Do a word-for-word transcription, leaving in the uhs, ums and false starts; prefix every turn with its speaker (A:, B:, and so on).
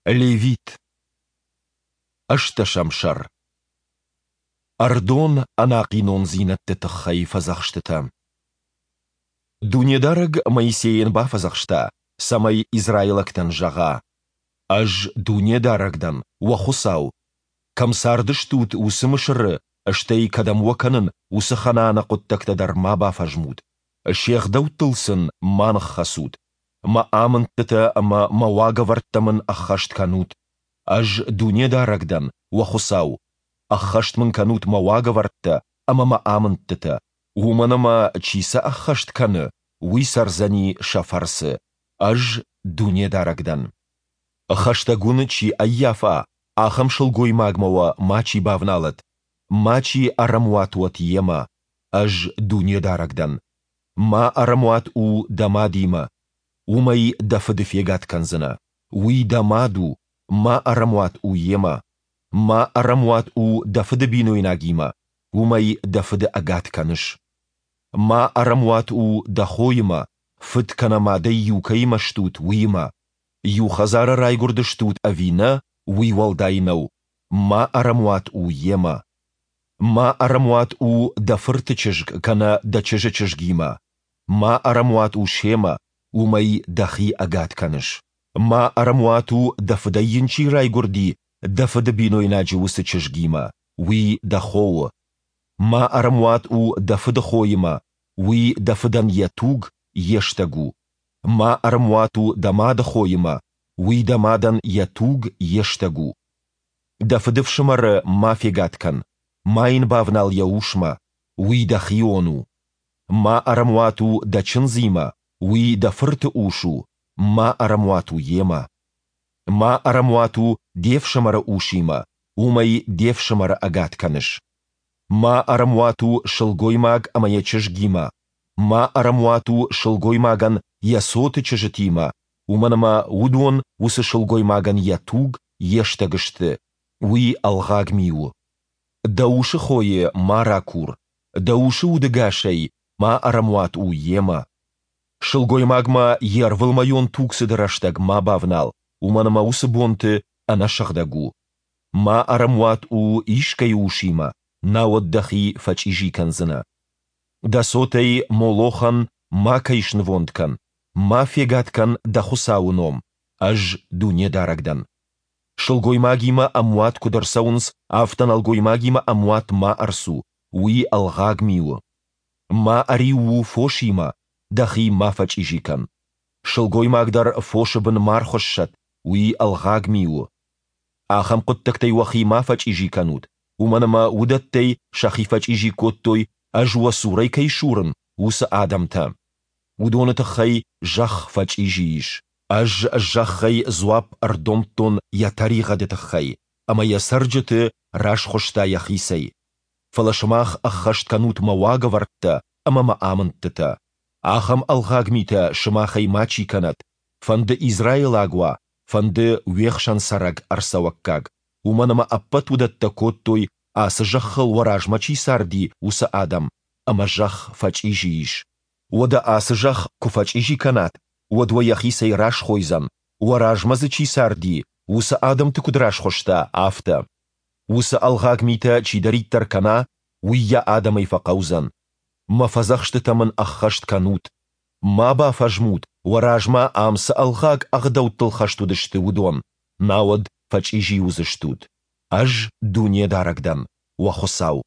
A: Левит. Ӕстдӕсӕм сӕр. Ӕрдон ӕнахъинондзинӕдты тыххӕй фӕдзӕхстытӕ. Дунедарӕг Моисейӕн бафӕдзӕхста, цӕмӕй израилӕгтӕн зӕгъа: Ӕз Дунедарӕг дӕн, уӕ Хуыцау. Кӕм цардыстут, уыцы Мысыры, стӕй, кӕдӕм уӕ кӕнын, уыцы Ханааны хъуыддӕгтӕ дӕр ма бафӕзмут. Се гъдӕуттыл сын ма ныххӕцут. Мӕ амындтытӕ ӕмӕ Мӕ уагӕвӕрдтӕ Мын ӕххӕст кӕнут. Ӕз Дунедарӕг дӕн, уӕ Хуыцау. Ӕххӕст Мын кӕнут Мӕ уагӕвӕрдтӕ ӕмӕ Мӕ амындтытӕ, уымӕн ӕмӕ, чи сӕ ӕххӕст кӕны, уый цӕрдзӕни сӕ фӕрцы. Ӕз Дунедарӕг дӕн. Хӕстӕг уын чи ӕййафа, ахӕм сылгоймагмӕ уӕ мачи бавналӕд, мачи ӕрӕмуат уӕд йемӕ. Ӕз Дунедарӕг дӕн. Ма ӕрӕмуат у дӕ мадимӕ, уымӕй дӕ фыды фегад кӕндзынӕ. Уый дӕ мад у, ма ӕрӕмуат у йемӕ. Ма ӕрӕмуат у дӕ фыды бинойнагимӕ, уымӕй дӕ фыды ӕгад кӕныс. Ма ӕрӕмуат у дӕ хоимӕ, фыд кӕнӕ мадӕй иу кӕимӕ стут, уыимӕ. Иу хӕдзары райгуырдыстут ӕви нӕ, уый уӕлдай нӕу, ма ӕрӕмуат у йемӕ. Ма ӕрӕмуат у дӕ фырты чызг кӕнӕ дӕ чызджы чызгимӕ. Ма ӕрӕмуат у семӕ, уымӕй дӕхи ӕгад кӕныс. Ма ӕрӕмуат у, дӕ фыдӕй йын чи райгуырди, дӕ фыды бинойнаджы уыцы чызгимӕ, уый дӕ хо у. Ма ӕрӕмуат у дӕ фыды хоимӕ, уый дӕ фыдӕн йӕ туг, йе стӕг у. Ма ӕрӕмуат у дӕ мады хоимӕ, уый дӕ мадӕн йӕ туг, йе стӕг у. Дӕ фыдыфсымӕры ма фегад кӕн, ма йын бавнал йӕ усмӕ, уый дӕ хион у. Ма ӕрӕмуат у дӕ чындзимӕ, уый дӕ фырты ус у, ма ӕрӕмуат у йемӕ. Ма ӕрӕмуат у де фсымӕры усимӕ, уымӕй де фсымӕры ӕгад кӕныс. Ма ӕрӕмуат у сылгоймаг ӕмӕ йӕ чызгимӕ, ма ӕрӕмуат у сылгоймагӕн йӕ цоты чызджытимӕ, уымӕн ӕмӕ уыдон уыцы сылгоймагӕн йӕ туг, йе стӕг сты, уый ӕлгъаг ми у. Дӕ усы хойы ма ракур, дӕ усы удӕгасӕй ма ӕрӕмуат у йемӕ. Сылгоймагмӕ йе рвылмӕйон тугцыды рӕстӕг ма бавнал, уымӕн ӕмӕ уыцы бонты ӕнӕсыгъдӕг у. Ма ӕрӕмуат у искӕй усимӕ, науӕд дӕхи фӕчъизи кӕндзынӕ. Дӕ цотӕй Молохӕн макӕй снывонд кӕн, ма фегад кӕн дӕ Хуыцауы ном, Ӕз Дунедарӕг дӕн. Сылгоймагимӕ ӕмуат куыд ӕрцӕуынц, афтӕ нӕлгоймагимӕ ӕмуат ма ӕрцу, уый ӕлгъаг ми у. Ма ӕриу у фосимӕ, дӕхи ма фӕчъизи кӕн. Сылгоймаг дӕр фосы бын ма рхуыссӕд, уый ӕлгъаг ми у. Ахӕм хъуыддӕгтӕй уӕхи ма фӕчъизи кӕнут, уымӕн ӕмӕ уыдӕттӕй сӕхи фӕчъизи кодтой, Ӕз уӕ цурӕй кӕй сурын, уыцы адӕмтӕ. Уыдоны тыххӕй зӕхх фӕчъизи ис. Ӕз зӕххӕй дзуапп ӕрдомдтон йӕ тӕригъӕды тыххӕй, ӕмӕ йӕ цӕрджыты расхуыста йӕхицӕй. Фӕлӕ сымах ӕххӕст кӕнут мӕ уагӕвӕрдтӕ ӕмӕ мӕ амындтытӕ. Ахӕм ӕлгъаг митӕ сымахӕй мачи кӕнӕд, фӕнды израилаг уа, фӕнды уе хсӕн цӕрӕг ӕрцӕуӕггаг, уымӕн ӕмӕ ӕппӕт уыдӕттӕ кодтой, ацы зӕххыл уӕ размӕ чи царди, уыцы адӕм, ӕмӕ зӕхх фӕчъизи ис. Уӕдӕ ацы зӕхх куы фӕчъизи кӕнат, уӕд уӕ йӕхицӕй расхойдзӕн, уӕ размӕ дзы чи царди, уыцы адӕмты куыд расхуыста, афтӕ. Уыцы ӕлгъаг митӕ чидӕриддӕр кӕна, уый йӕ адӕмӕй фӕхъӕудзӕн. Мӕ фӕдзӕхстытӕ мын ӕххӕст кӕнут. Ма бафӕзмут, уӕ размӕ ам цы ӕлгъаг ӕгъдӕуттыл хӕст уыдысты, уыдон, науӕд фӕчъизи уыдзыстут. Ӕз Дунедарӕг дӕн, уӕ Хуыцау.